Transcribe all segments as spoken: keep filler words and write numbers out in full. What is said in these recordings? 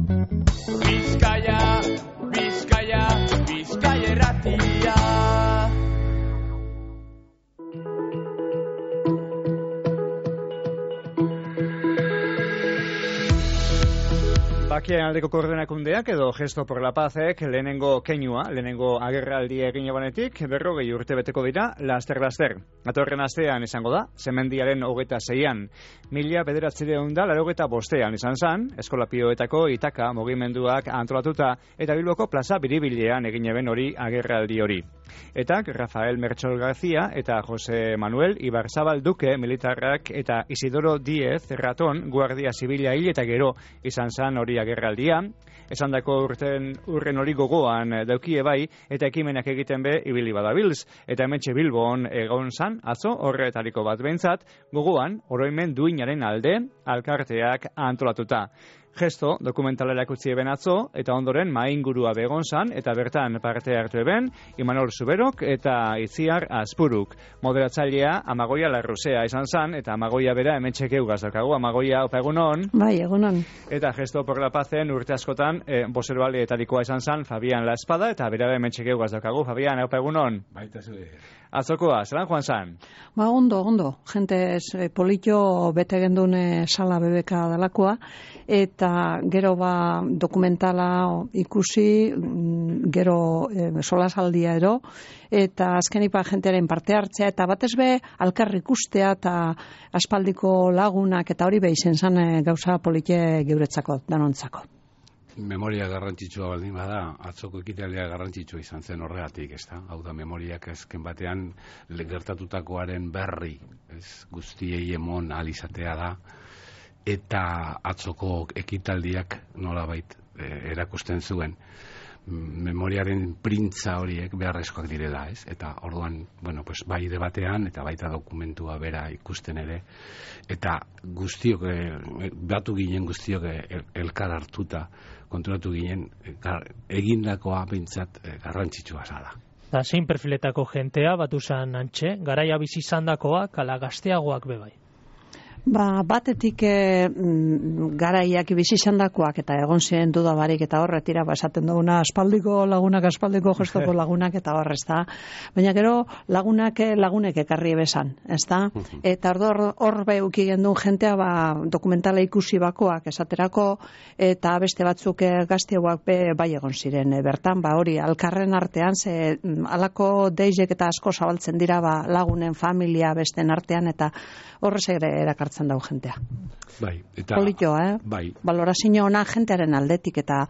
Bizkaia, Bizkaia, Bizkaia erratia. Bakien aldeko koordinakundeak edo Gesto por la Pazek lehenengo keinua, lehenengo agerraldi egin ebanetik, berrogei urte beteko dira, laster-laster. Atorren astean izango da, Semendiaren hogeita zeian. Mila bederatzireun da, larogeta bostean izan zan, Eskolapioetako Itaka mugimenduak antolatuta, eta Bilboko plaza biribilean egin eben hori agerraldi hori. Eta Rafael Mertxol García eta Jose Manuel Ibarzabal Duque militarrak eta Isidoro Diez Raton Guardia Zibila hil eta gero izan zan hori agerraldia. Esandako urten urren hori gogoan daukie bai eta ekimenak egiten be ibili badabilz. Eta hementxe Bilbon egon zan atzo horretariko bat behintzat gogoan oroimen duinaren alde alkarteak antolatuta. Gesto dokumentalera utzi eben atzo, eta ondoren maingurua begon zan, eta bertan parte hartu eben, Imanol Zuberok eta Itziar Azpuruk. Moderatzailea Amagoia Larruzea izan zan, eta Amagoia bera hementxek eugaz daukagu. Amagoia, opa egunon. Bai, egunon. Eta Gesto por la Pazen urte askotan, e, bozeroaleetarikoa izan zan, Fabian La Espada, eta bera hementxek eugaz daukagu. Fabian, opa egunon. Baita zure. Atzokoa, zelan joan zan? Ba, ondo, ondo. Gente eh, politxo bete gendune sala bebeka dalakoa, eta gero ba dokumentala ikusi, gero e, solasaldia ero, eta azkenik ba jentearen parte hartzea, eta batez be alkar ikustea, eta aspaldiko lagunak, eta hori behizen zan e, gauza politxe geuretzako, danontzako. Memoria garrantzitsua baldin bada, atzoko ekitaldia garrantzitsua izan zen horregatik, ez da? Hau da, memoriak ezken batean gertatutakoaren berri, ez guztiei emon alizatea da, eta atzoko ekitaldiak nolabait e, erakusten zuen memoriaren printza horiek beharrezkoak direla, ez? Eta orduan, bueno, pues bai debatean eta baita dokumentua bera ikusten ere, eta guztiok e, batu ginen guztiok el, elkar hartuta konturatu ginen gar, egindakoa behintzat e, garrantzitsua zala. Da, zein perfiletako jentea batu zan antxe, garaia bizi izandakoak ala gazteagoak bebai? Ba, batetik e, garaiak bizi izandakoak eta egon ziren duda barik eta horretira ba, esaten duguna aspaldiko lagunak, aspaldiko gestoko lagunak eta horrez da. Baina gero lagunak lagunek ekarri besan, ez da? Eta hor hor beuki gendun jentea ba, dokumentala ikusi bakoak esaterako eta beste batzuk gazteagoak be, bai egon ziren e, bertan, ba hori alkarren artean ze alako deizek eta asko zabaltzen dira ba, lagunen familia besten artean eta horrez ere erakartzen dau jentea. Bai, eta Politxoa, eh? Bai. Valorazio ona jentearen aldetik eta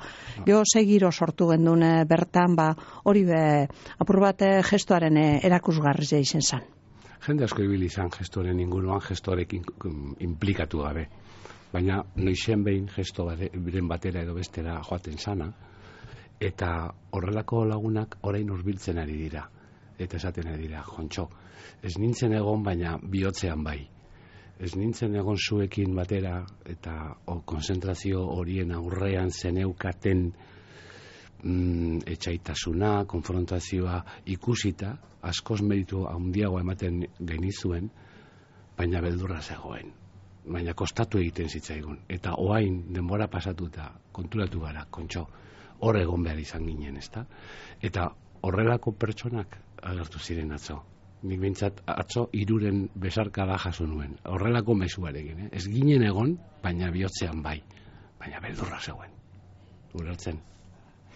jo segiro sortu gendun bertan, ba hori be apur bat gestoaren erakusgarria izan zen. Jende asko ibili izan gestoren inguruan, gestorekin implikatu gabe. Baina noizen behin gesto biren batera edo bestera joaten sana, eta horrelako lagunak orain hurbiltzen ari dira. Eta esaten ari dira, Jontxo, ez nintzen egon baina bihotzean bai. Ez nintzen egon zuekin batera eta o, konzentrazio horien aurrean zeneukaten mm, etxaitasuna, konfrontazioa ikusita, askoz meritu handiagoa ematen genizuen, baina beldurra zegoen. Baina kostatu egiten zitzaigun. Eta oain denbora pasatuta konturatu gara, Kontxo, hor egon behar izan ginen, ezta? Eta horrelako pertsonak agertu ziren atzo. Nik bintzat atzo iruren besarkada jaso nuen. Horrelako mezuarekin, eh? Ez ginen egon, baina bihotzean bai. Baina beldurra zegoen. Ulertzen.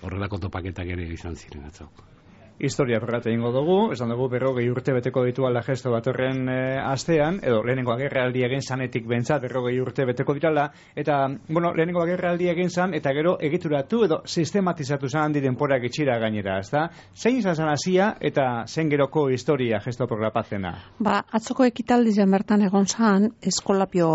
Horrelako topaketak ere izan ziren atzo. Historia perrate ingo dugu, esan dugu berrogei urte beteko dituala gesto bat horren e, astean, edo lehenengo agerraldi egin zanetik bentsat berrogei urte beteko dirala, eta, bueno, lehenengo agerraldi egin zan, eta gero egituratu edo sistematizatu zan handi denporak itxira gainera, ezta? Zein izan zan hasia eta zen geroko historia Gesto por la Pazena? Ba, atzoko ekitaldi zen bertan egon zan, eskolapio,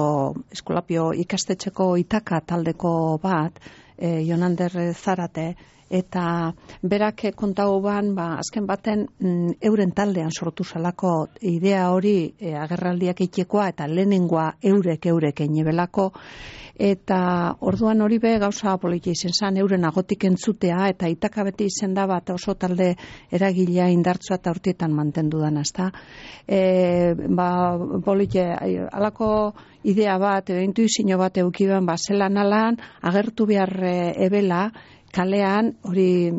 eskolapio ikastetxeko Itaka taldeko bat, e, Jonander Zarate, eta berak kontau ban, ba, azken baten mm, euren taldean sortu zelako idea hori e, agerraldiak itxekoa eta lehenengoa eurek eurek enebelako eta orduan hori be gauza politia izen zan euren agotik entzutea eta Itaka beti izen da bat oso talde eragilea indartzua eta urtietan mantendu dan, ezta? E, ba, politia, alako idea bat, edo intuizio bat eukiben, ba, zelan alan, agertu behar e, ebela, kalean hori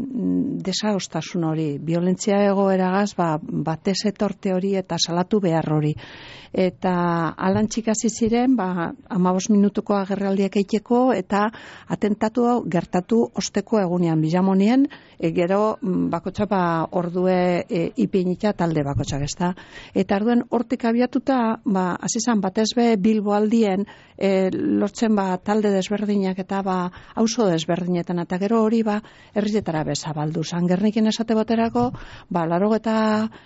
desaostasun hori, violentzia egoeragaz, ba, batez etorte hori eta salatu behar hori. Eta alan txikasi ziren, ba, amabos minutuko agerraldiak eiteko, eta atentatu gertatu osteko egunean, bilamonien, e, gero bakotxa ba, ordue e, ipinita talde bakotxak, ezta. Eta arduen hortik abiatuta, ba, azizan batez be Bilbo aldien, e, lortzen ba, talde desberdinak eta ba, auzo desberdinetan, eta gero hori ba, herrietara bezabaldu. San Gernikin esate baterako, ba, laro eta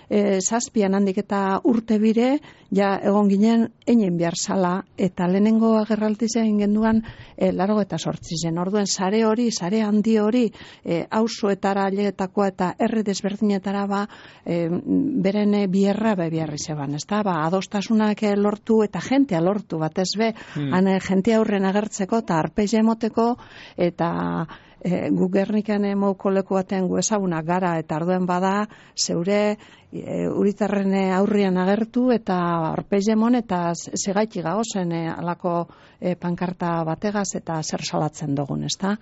e, zazpian handik eta urte bire, ja egon ginen einen behar zala, eta lehenengo agerraldizen genduan e, laro eta sortzi zen. Orduen sare hori, sare handi hori, e, auzoetara ailegetakoa eta herri desberdinetara ba, e, beren bierra be biarri zeban, ezta? Ba, adostasunak lortu eta jentea lortu batez be, hmm. han jentea aurren agertzeko eta arpeia emoteko, eta E, gu Gernikan emauko leku batean gu ezagunak gara, eta arduen bada zeure e, uritarren aurrian agertu eta arpeiemon eta segaiti gagozen e, alako e, pankarta bategaz eta zer salatzen dugun, ezta?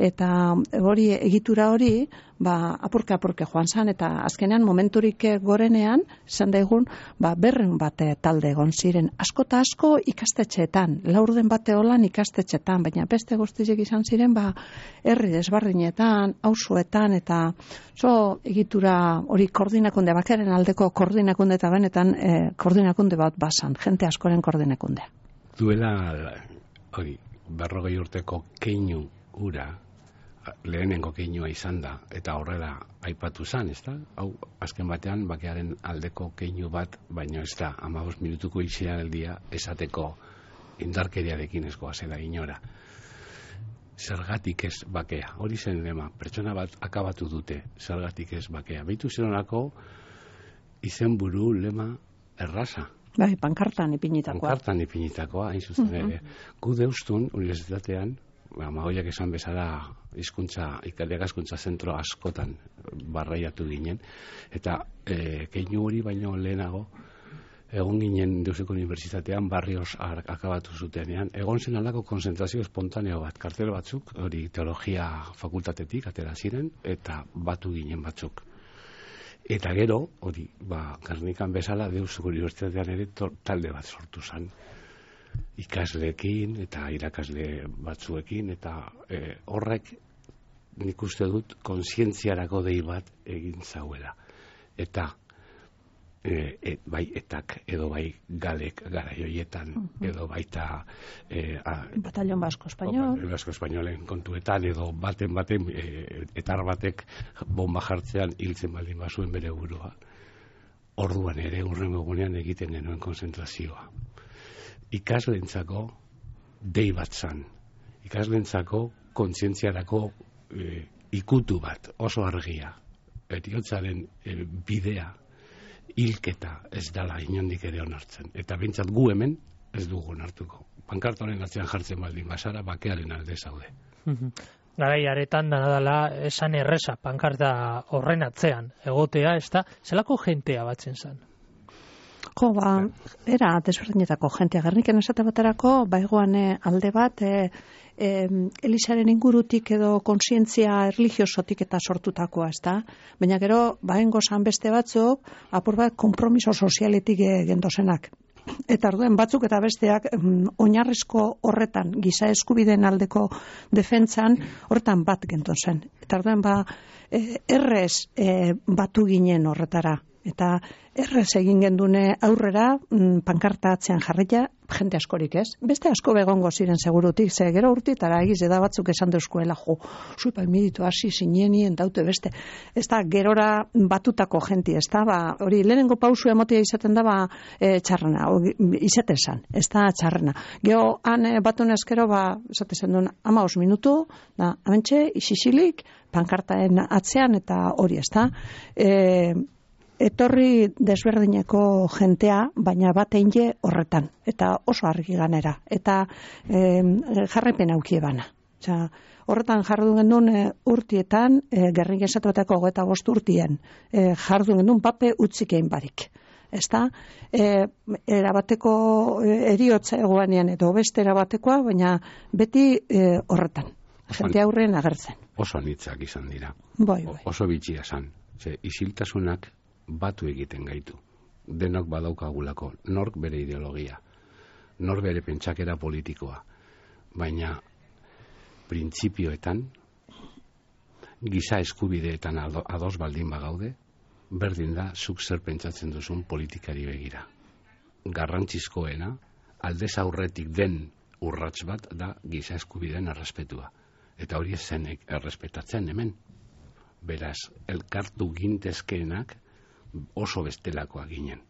Eta hori egitura hori, ba, apurke apurke joan zan, eta azkenean momenturik gorenean, izan daigun, ba, berren bate talde egon ziren, asko eta asko ikastetxeetan, laurden bate holan ikastetxeetan, baina beste guztiek izan ziren, ba, herri desbardinetan, auzoetan, eta zo egitura hori koordinakunde, bakaren aldeko koordinakunde eta benetan e, koordinakunde bat basan, jente askoren koordinakundea. Duela, hori, berrogei urteko keinu ura, lehenengo keinua izan da, eta horrela aipatu zan, ez da? Hau, azken batean, bakearen aldeko keinu bat, baino ez da, amabos minutuko itxialdia esateko indarkeriarekin ezkoa zela inora. Zergatik ez bakea, hori zen lema, pertsona bat akabatu dute, zergatik ez bakea. Beitu zeronako izen buru lema erraza. Bai, pankartan ipinitakoa. Pankartan ipinitakoa, hain zuzen ere. Uh-huh. Gu deustun, unibertsitatean, Magoiak esan bezala hizkuntza, ikaskuntza zentro askotan barraiatu ginen, eta e, keinu hori baino lehenago egon ginen Deuseko Unibertsitatean barrios akabatu zutenean, egon zen alako konzentrazio espontaneo bat, kartel batzuk, hori teologia fakultatetik atera ziren, eta batu ginen batzuk. Eta gero, hori, ba, Gernikan bezala Deuseko Unibertsitatean ere to, talde bat sortu zen. Ikasleekin eta irakasle batzuekin, eta e, horrek nik uste dut kontzientziarako dei bat egin zauela. Eta e, et, bai etak edo bai galek gara joietan, uh-huh. edo baita e, a, Batallon Basko Espainol Basko Espainolen kontuetan, edo baten baten e, etar batek bomba jartzean hiltzen baldin bazuen bere burua. Orduan ere urrengo egunean egiten genuen konzentrazioa. Ikaslentzako dei bat zan, ikaslentzako kontzientziarako e, ikutu bat, oso argia, eriotzaren e, bidea, hilketa ez dala inondik ere onartzen, eta bintzat gu hemen ez dugu onartuko. Pankartoren atzean jartzen baldin basara, bakearen alde zaude. Garai aretan dana dela esan erresa, pankarta horren atzean, egotea, ez da, zelako jentea batzen zan? Jo, ba, era desberdinetako jentea. Gerniken esate baterako, baigoan alde bat, e, e, Elisaren ingurutik edo kontzientzia erligiosotik eta sortutakoa, ez da? Baina gero, baengo zan beste batzuk, apur bat, kompromiso sozialetik e, gendozenak. Eta arduen batzuk eta besteak mm, oinarrizko horretan, giza eskubideen aldeko defentsan, horretan bat gendozen. Eta arduen ba, e, errez e, batu ginen horretara. Eta errez egin gendune aurrera, mm, pankarta atzean jarrita, jente askorik ez. Beste asko begongo ziren segurutik, ze gero urtitara egiz eda batzuk esan deuskuela, jo, zuipa imiditu hasi zinenien daute beste. Ez da, gerora batutako jenti, ez da, ba, hori lehenengo pausu emotia izaten da, ba, e, txarrena, izaten zan, ez da txarrena. Gero, han e, batun ezkero, ba, esaten zen duen, amaos minutu, da, amentxe, isisilik, pankartaen atzean, eta hori, ez da. E, etorri desberdineko jentea, baina bat einge horretan, eta oso argi ganera, eta e, jarraipen aukie bana. Osea, horretan jardun gendun e, urtietan, e, Gernik esatuetako hogeita bost urtien, e, jardun gendun pape utzikein barik. ezta? E, erabateko eriotza egoanean edo beste erabatekoa, baina beti e, horretan. Jende aurren agertzen. Oso nitzak izan dira. Bai, bai. Oso bitxia zan. Ze, isiltasunak batu egiten gaitu. Denok badaukagulako. Nork bere ideologia. Nork bere pentsakera politikoa. Baina printzipioetan, giza eskubideetan ados baldin bagaude, berdin da zuk zer pentsatzen duzun politikari begira. Garrantzizkoena, aldez aurretik den urrats bat da giza eskubideen errespetua. Eta hori ez zenek errespetatzen hemen. Beraz, elkartu gintezkeenak oso bestelakoak ginen.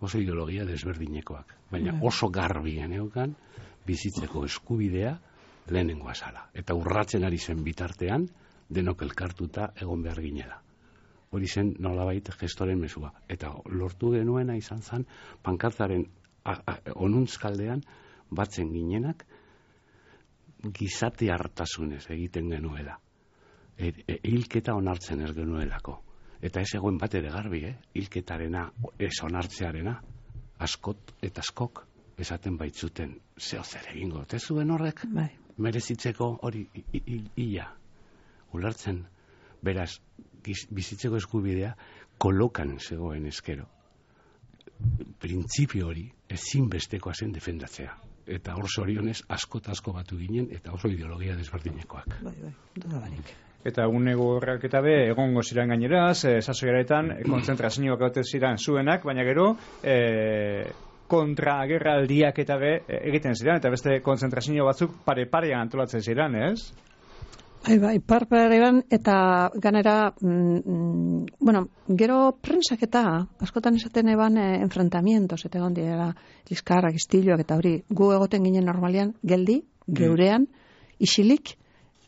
Oso ideologia desberdinekoak. Baina oso garbien eukan bizitzeko eskubidea lehenengo azala. Eta urratzen ari zen bitartean, denok elkartuta egon behar ginela. Hori zen nolabait gestoren mesua. Eta lortu genuena izan zen, pankartaren onuntzkaldean batzen ginenak, gizate hartasunez egiten genuela. E, e, hilketa onartzen ez genuelako. Eta ez egoen bat ere garbi, eh? Hilketarena, ez onartzearena, askot eta askok esaten baitzuten, zeo zer egingo, te zuen horrek? Bai. Merezitzeko hori ia. Ulertzen, beraz, giz, bizitzeko eskubidea kolokan zegoen eskero. Printzipio hori ezinbestekoa zen defendatzea. Eta hor zorionez asko eta asko batu ginen, eta oso ideologia desberdinekoak. Bai, bai, duda barik. Eta unego horrek eta be, egongo ziren gaineraz, e, sasoiaretan, e, kontzentrazioak gaute ziren zuenak, baina gero, e, kontra-agerraldiak eta be, e, egiten ziren, eta beste kontzentrazio batzuk pare-parean antolatzen ziren, ez? Bai, bai, par-parean, eta ganera, mm, bueno, gero prensak eta, askotan esaten eban e, enfrentamientos, eta egon dira, liskarrak, istiloak, eta hori, gu egoten ginen normalian, geldi, geurean, isilik,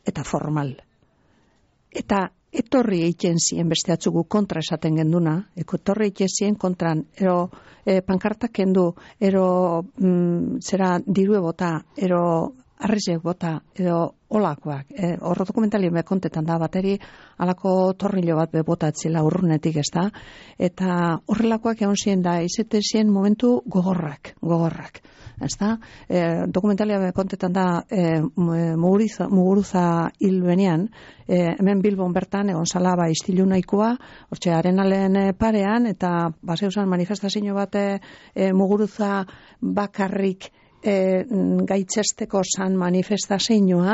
eta formal. Eta etorri egiten zien beste atzugu kontra esaten genduna, etorri egiten zien kontran, ero e, pankartak kendu, ero mm, zera dirue bota, ero arrizek bota, edo olakoak. E, horro dokumentalien bekontetan da bateri, alako torrillo bat bebotatzila urrunetik, ez da? Eta horrelakoak egon ziren da, izete ziren momentu gogorrak, gogorrak. Ez da? E, dokumentalia bekontetan da, e, muguruza, muguruza hil benean, e, hemen Bilbon bertan, egon zala, ba, istilu nahikoa, hortxe, arenalen parean, eta baseusan manifestazio bat e, muguruza bakarrik E, gaitzesteko zan manifestazioa,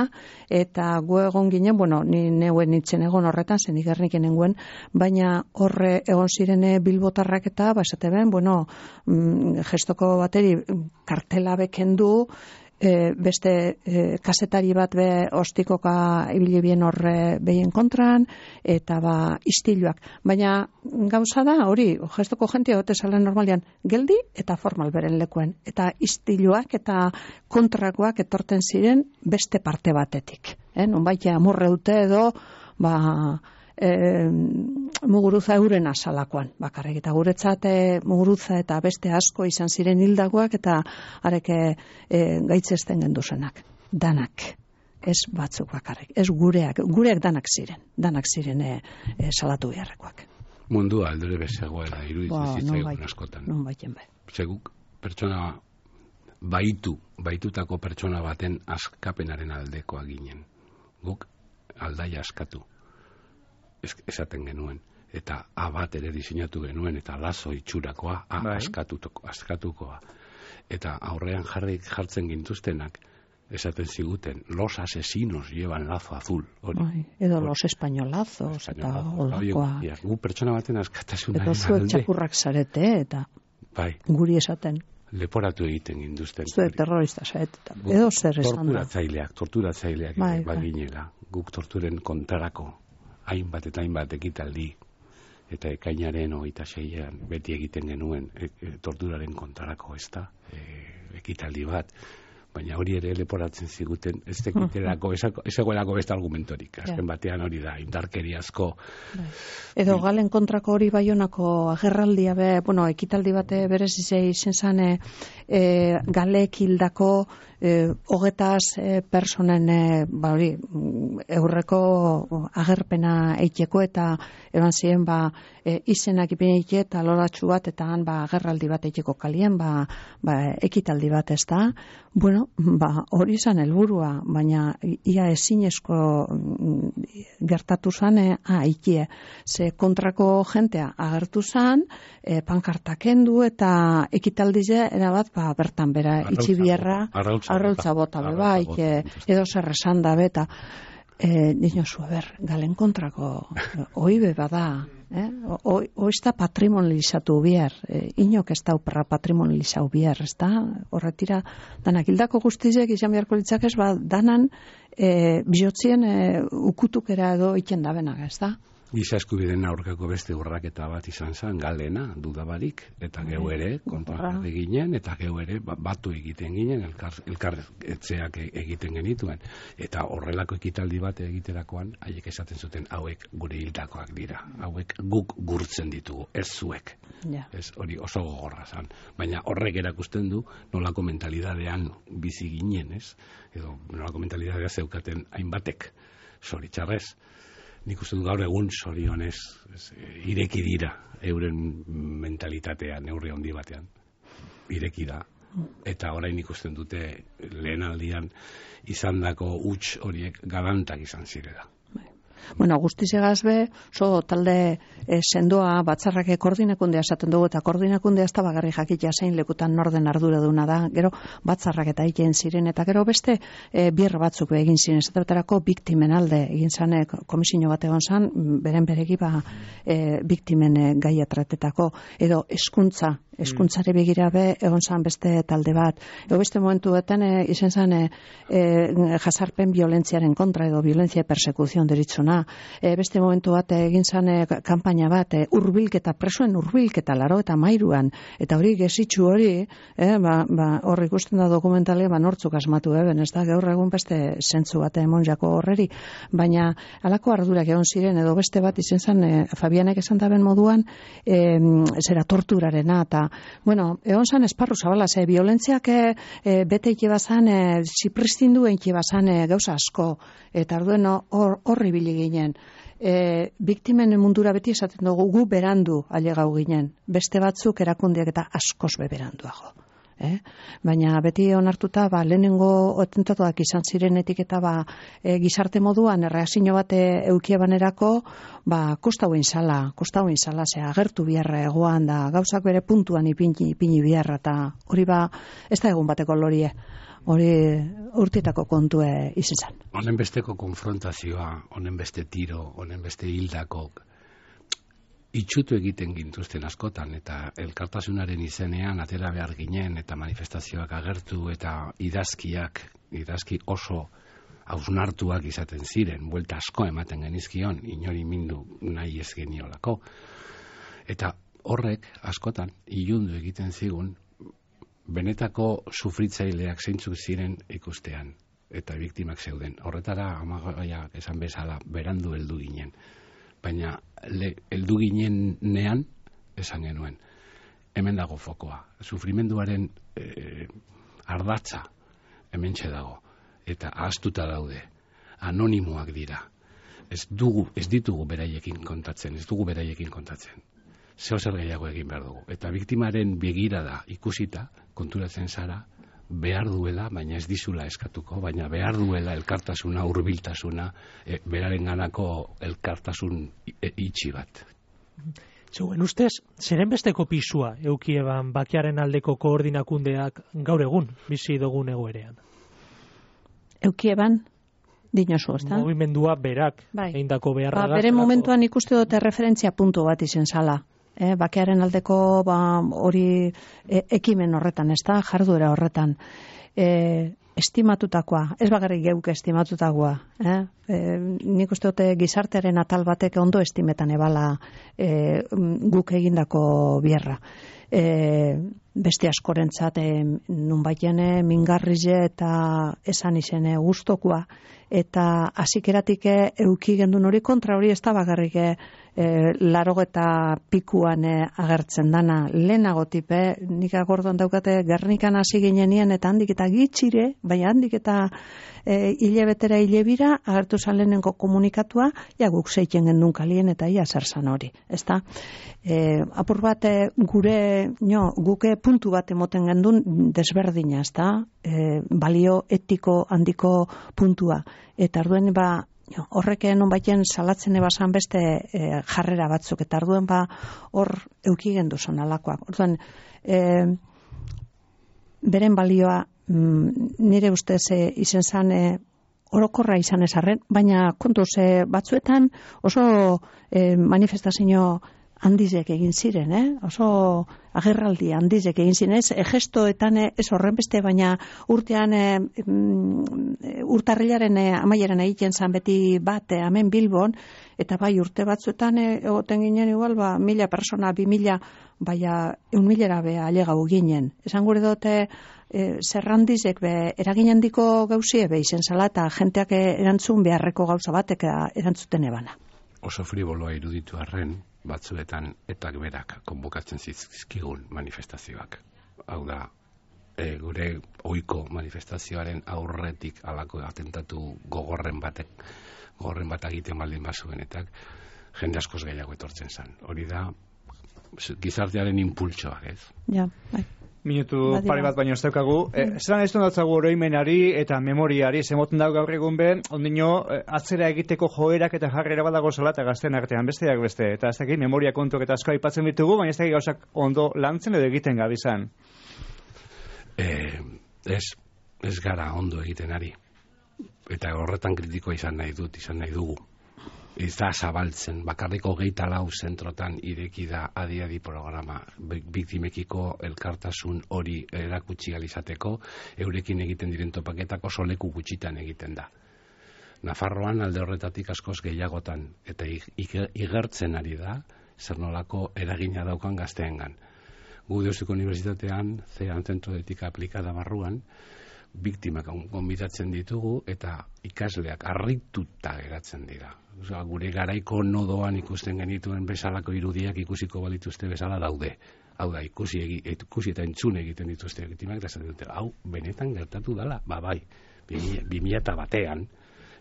eta gu egon ginen, bueno, ni neuen nitzen egon horretan, zen igernik nengoen, baina horre egon zirene bilbotarrak eta, basate ben, bueno, mm, gestoko bateri kartela bekendu, e, beste e, kasetari bat be ostikoka ibili bien horre behien kontran, eta ba istiluak. Baina gauza da, hori, gestoko jentia gote salen normalian, geldi eta formal beren lekuen. Eta istiluak eta kontrakoak etorten ziren beste parte batetik. Eh? Nonbait amurre dute edo, ba, e, muguruza euren asalakoan. Bakarrik eta guretzat e, muguruza eta beste asko izan ziren hildagoak eta areke e, gaitzesten genduzenak. Danak. Ez batzuk bakarrik. Ez gureak. Gureak danak ziren. Danak ziren e, e, salatu beharrekoak. Mundua aldure bezegoela iruditzen zitzaigun askotan. Non baiten bai. Zeguk pertsona baitu, baitutako pertsona baten askapenaren aldekoa ginen. Guk aldaia askatu. Es, esaten genuen. Eta A bat ere diseinatu genuen, eta lazo itxurakoa, A bai. askatuko, askatukoa. Eta aurrean jarrik jartzen gintuztenak, esaten ziguten, los asesinos llevan lazo azul. Hori. Ai, edo los españolazos, eta olakoa. Ja, gu pertsona baten askatasuna. Edo zuek txakurrak zarete, eta bai. Guri esaten. Leporatu egiten ginduzten. Zuek terrorista zarete. Edo zer esan da. Torturatzaileak, torturatzaileak bai, baginela. Bai. Guk torturen kontrarako, hainbat eta hainbat ekitaldi, eta ekainaren hogeita seian beti egiten genuen e, e, torturaren kontrarako, ez da, e, ekitaldi bat. baina hori ere leporatzen ziguten, ez tekiterako, ez egoelako beste argumentorik, azken batean hori da, indarkeriazko. Edo galen kontrako hori Baionako agerraldia be, bueno, ekitaldi bate berez izen zan, e, galek hildako E, hogetaz e, personen e, ba hori eurreko agerpena eiteko eta eban ziren ba e, izenak ipin eite eta loratxu bat eta han ba agerraldi bat eiteko kalien ba, ba ekitaldi bat ez da. Bueno, ba hori izan helburua, baina ia ezinezko gertatu zan e, a, eikie. Ze kontrako jentea agertu zan, e, pankarta kendu eta ekitaldize erabat ba bertan bera itxi bierra arrautza bota bai, edo zer esan da beta. Eh, niño zu, ber, galen kontrako oibe bada, eh? Oizta patrimonializatu bier, eh, inok ez da upera patrimonializatu bier, ez da? Horretira, danak hildako guztizek izan beharko litzakez, ba, danan eh, bihotzien eh, ukutukera edo iten da benak, ez da? Giza eskubideen aurkako beste urraketa bat izan zen, galena, dudabarik, eta geu ere, kontra ginen, eta geu ere batu egiten ginen, elkar, elkarretzeak egiten genituen. Eta horrelako ekitaldi bat egiterakoan, haiek esaten zuten, hauek gure hildakoak dira, hauek guk gurtzen ditugu, ez zuek. Ja. Ez hori oso gogorra zen. Baina horrek erakusten du, nolako mentalidadean bizi ginen, ez? Edo nolako mentalidadea zeukaten hainbatek, zoritxarrez. Nik uste du gaur egun zorionez ireki dira euren mentalitatea neurri handi batean. Ireki da. Eta orain ikusten dute lehenaldian izandako huts horiek galantak izan zirela. Bueno, guztizegaz be, so talde e, sendoa batzarrake koordinakundea esaten dugu, eta koordinakundea ez da bagarri jakitea zein lekutan norden ardura duna da, gero batzarrak eta egin ziren, eta gero beste e, bier batzuk egin ziren, ez betarako biktimen alde egin zane komisio bat egon zan, beren beregi ba e, biktimen e, gaia tratetako, edo eskuntza, eskuntzare begira be egon zan beste talde bat, edo beste momentu beten e, izen zan e, e, jasarpen violentziaren kontra, edo violentzia persekuzion deritzuna. E, beste momentu bat egin zan e, kanpaina bat, e, urbilketa, presoen urbilketa laro eta mairuan, eta hori gesitxu hori, e, ba, ba, hor ikusten da dokumentale, ba, nortzuk asmatu eben, ez da, gaur egun beste zentzu bat emon jako horreri, baina alako ardurak egon ziren, edo beste bat izen zan, e, Fabianek esan daben moduan, e, zera torturarena, eta, bueno, egon zan esparru zabala, ze violentziak e, e, bete ike bazan, e, zipristindu ike bazan e, gauza asko, eta arduen horri bili ginen. E, biktimen mundura beti esaten dugu gu berandu ailegau ginen. Beste batzuk erakundeak eta askoz be beranduago. Eh? Baina beti onartuta ba, lehenengo atentatuak izan zirenetik eta ba, e, gizarte moduan erreakzio bat eukie banerako ba, kosta huen zala, kosta huen zala, ze agertu biharra egoan da, gauzak bere puntuan ipini, ipini biharra, eta hori ba, ez da egun bateko lorie. Hori urtietako kontue izan zen. Honen besteko konfrontazioa, honen beste tiro, honen beste hildakok, itxutu egiten gintuzten askotan, eta elkartasunaren izenean atera behar ginen, eta manifestazioak agertu, eta idazkiak, idazki oso hausnartuak izaten ziren, buelta asko ematen genizkion, inori mindu nahi ez geniolako. Eta horrek askotan ilundu egiten zigun, benetako sufritzaileak zeintzuk ziren ikustean, eta biktimak zeuden. Horretara, amagaia esan bezala, berandu heldu ginen. Baina, le, heldu ginen nean, esan genuen, hemen dago fokoa. Sufrimenduaren e, ardatza, hemen dago, eta ahaztuta daude, anonimoak dira. Ez, dugu, ez ditugu beraiekin kontatzen, ez dugu beraiekin kontatzen. Zeo zer gehiago egin behar dugu. Eta biktimaren begirada ikusita, konturatzen zara, behar duela, baina ez dizula eskatuko, baina behar duela elkartasuna, hurbiltasuna, e, beraren ganako elkartasun e, itxi bat. Zuen ustez, zeren besteko pisua eukieban bakearen aldeko koordinakundeak gaur egun, bizi dugun egoerean? Eukieban? Dinosu, ez da? Movimendua berak, bai. Eindako beharra ba, bere momentuan ikuste dute referentzia puntu bat izen zala. E, bakearen aldeko ba, hori e, ekimen horretan, ez da? Jarduera horretan. E, estimatutakoa, ez bagarrik geuk estimatutakoa. Eh? E, nik uste dute gizartearen atal batek ondo estimetan ebala e, guk egindako bierra. e, beste askorentzat e, nunbaiten e, mingarrize eta esan izene gustokoa, eta hasikeratik e, euki gendun hori kontra hori ez da bakarrik e, e, larogeta pikuan e, agertzen dana, lehenago tipe, nik agordoan daukate Gernikan hasi ginenien eta handik eta gitxire, baina handik eta e, hilebetera hilebira agertu zalenenko komunikatua, ja guk zeiten gendun kalien eta ia zer zan hori, ezta? E, apur bat e, gure, no, guke puntu bat emoten gendun desberdina, ezta? E, balio etiko handiko puntua, eta arduen ba, jo, horrek nonbaiten salatzen ebasan beste e, jarrera batzuk, eta arduen ba hor euki gendu zon alakoak. Orduan, e, beren balioa mm, nire ustez e, izen zan e, orokorra izan ezarren, baina kontuz e, batzuetan oso e, manifestazio handizek egin ziren, eh? Oso agerraldi handizek egin ziren, ez e, gestoetan e, ez horren beste, baina urtean e, mm, urtarrilaren e, amaieran egiten zan beti bat e, hemen Bilbon, eta bai urte batzuetan e, egoten ginen igual, ba, mila persona, bi mila, baina eun milera be alegau ginen. Esan gure dute e, zerrandizek be eragin handiko gauzie be izen zala, eta jenteak erantzun beharreko gauza batek erantzuten ebana. Oso friboloa iruditu arren, batzuetan etak berak konbokatzen zizkigun manifestazioak. Hau da, e, gure ohiko manifestazioaren aurretik alako atentatu gogorren batek, gogorren bat egiten baldin bazuenetak, jende askoz gehiago etortzen zen. Hori da, gizartearen impultsoak, ez? Ja, bai. Minutu pare bat baino ez daukagu. E, zelan ez donatzagu oroimenari eta memoriari, zemoten dago gaur egun ben, ondino atzera egiteko joerak eta jarrera badago zela eta gazten artean besteak beste. Eta ez dakit, memoria kontuak eta asko aipatzen ditugu, baina ez dakit gauzak ondo lantzen edo egiten gabizan. Eh, ez, ez gara ondo egiten ari. Eta horretan kritikoa izan nahi dut, izan nahi dugu. Ez da zabaltzen, bakarriko geita lau zentrotan ireki da adi-adi programa biktimekiko elkartasun hori erakutsi alizateko, eurekin egiten diren topaketak oso leku gutxitan egiten da. Nafarroan alde horretatik askoz gehiagotan, eta igertzen ari da, zer nolako eragina daukan gazteengan. Gu Deustuko Unibertsitatean, zean zentro de etika aplikada barruan, biktimak gonbidatzen ditugu eta ikasleak harrituta geratzen dira. Osea, gure garaiko nodoan ikusten genituen bezalako irudiak ikusiko balituzte bezala daude. Hau da, ikusi, egi, ikusi eta entzun egiten dituzte biktimak, eta esaten dute, hau, benetan gertatu dela, ba bai, bi mila batean,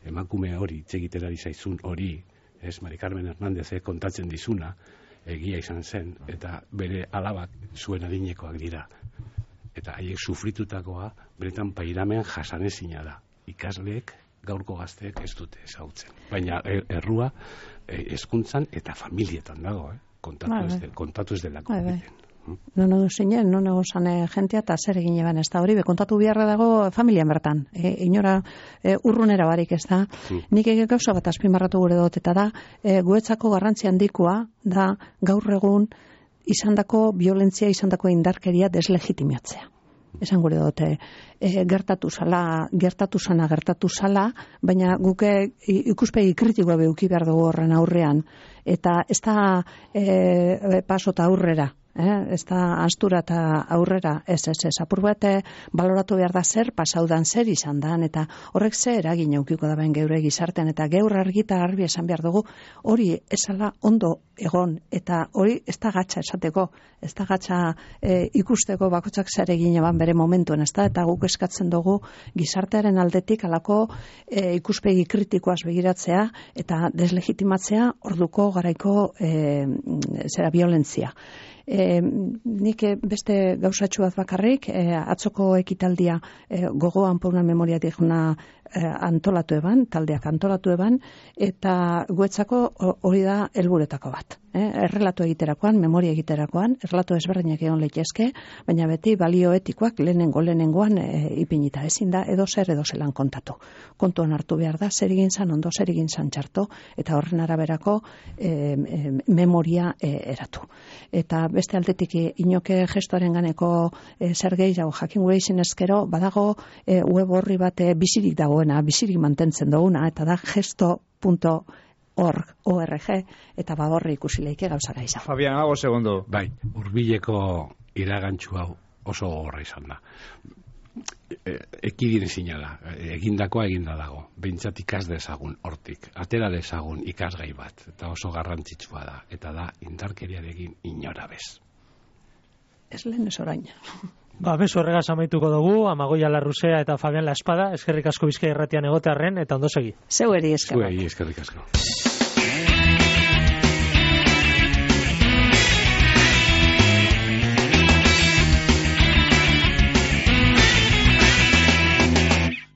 emakume hori, txegitera dizaizun hori, ez, Mari Carmen Hernández kontatzen dizuna, egia izan zen, eta bere alabak zuen adinekoak dira. Eta haiek sufritutakoa beretan pairamen jasanezina da. Ikasleek, gaurko gazteek ez dute ezagutzen. Baina errua hezkuntzan eta familietan dago, eh? kontatu, ba, ez de, kontatu ez delako ba, egiten. Non edo zinen, non edo zane jentea eta zer egin eban ez da hori, kontatu biharra dago familian bertan. E, inora e, urrunera barik ez da. Hmm. Nik ege gauza bat azpimarratu gure dut eta da, e, guetzako garrantzi handikoa da gaur egun izandako violentzia, izandako indarkeria deslegitimatzea. Esan gure dute, e, gertatu zala, gertatu zana, gertatu zala, baina guke ikuspegi kritikoa behuki behar dugu horren aurrean. Eta ez da e, pasota aurrera. Eh, ez da astura eta aurrera, ez, ez, ez, apur bat baloratu behar da zer, pasaudan zer izan da, eta horrek zer eragin eukiko da ben geure gizartean, eta geur argita argi esan behar dugu, hori esala ondo egon, eta hori ez da gatsa esateko, ez da gatsa e, ikusteko bakotsak zer egin eban bere momentuen, ez da, eta guk eskatzen dugu gizartearen aldetik alako e, ikuspegi kritikoaz begiratzea, eta deslegitimatzea orduko garaiko e, zera violentzia. E, nik beste gauzatxu bat bakarrik, e, atzoko ekitaldia e, gogoan pauna memoria diguna e, antolatu eban, taldeak antolatu eban, eta guetzako hori da helburetako bat. E, errelatu egiterakoan, memoria egiterakoan, errelatu ezberdinak egon leitezke, baina beti balio etikoak lehenengo lehenengoan e, ipinita ezin da, edo zer edo zelan kontatu. Kontuan hartu behar da, zer egin zan ondo, zer egin zan txarto, eta horren araberako e, e, memoria e, eratu. Eta beste aldetik inoke gestoaren ganeko e, zer gehiago jakin gure izin ezkero, badago e, web horri bat e, bizirik dagoena, bizirik mantentzen duguna, eta da gesto punto org, O R G, eta badorri ikusi leike gauza gaisa. Fabian, amago segundo. Bai, hurbileko iragantzu hau oso gogorra izan da. Ekidin ezina da, egindakoa eginda dago, behintzat ikas dezagun hortik, atera dezagun ikasgai bat, eta oso garrantzitsua da, eta da indarkeriarekin inora bez. Ez lehen ez orain. Ba, bezu horregaz amaituko dugu, Amagoia Larruzea eta Fabian La Espada, eskerrik asko Bizkaia Irratian egotearren, eta ondo segi. Zeu eri eskerrak. Zuei eskerrik asko.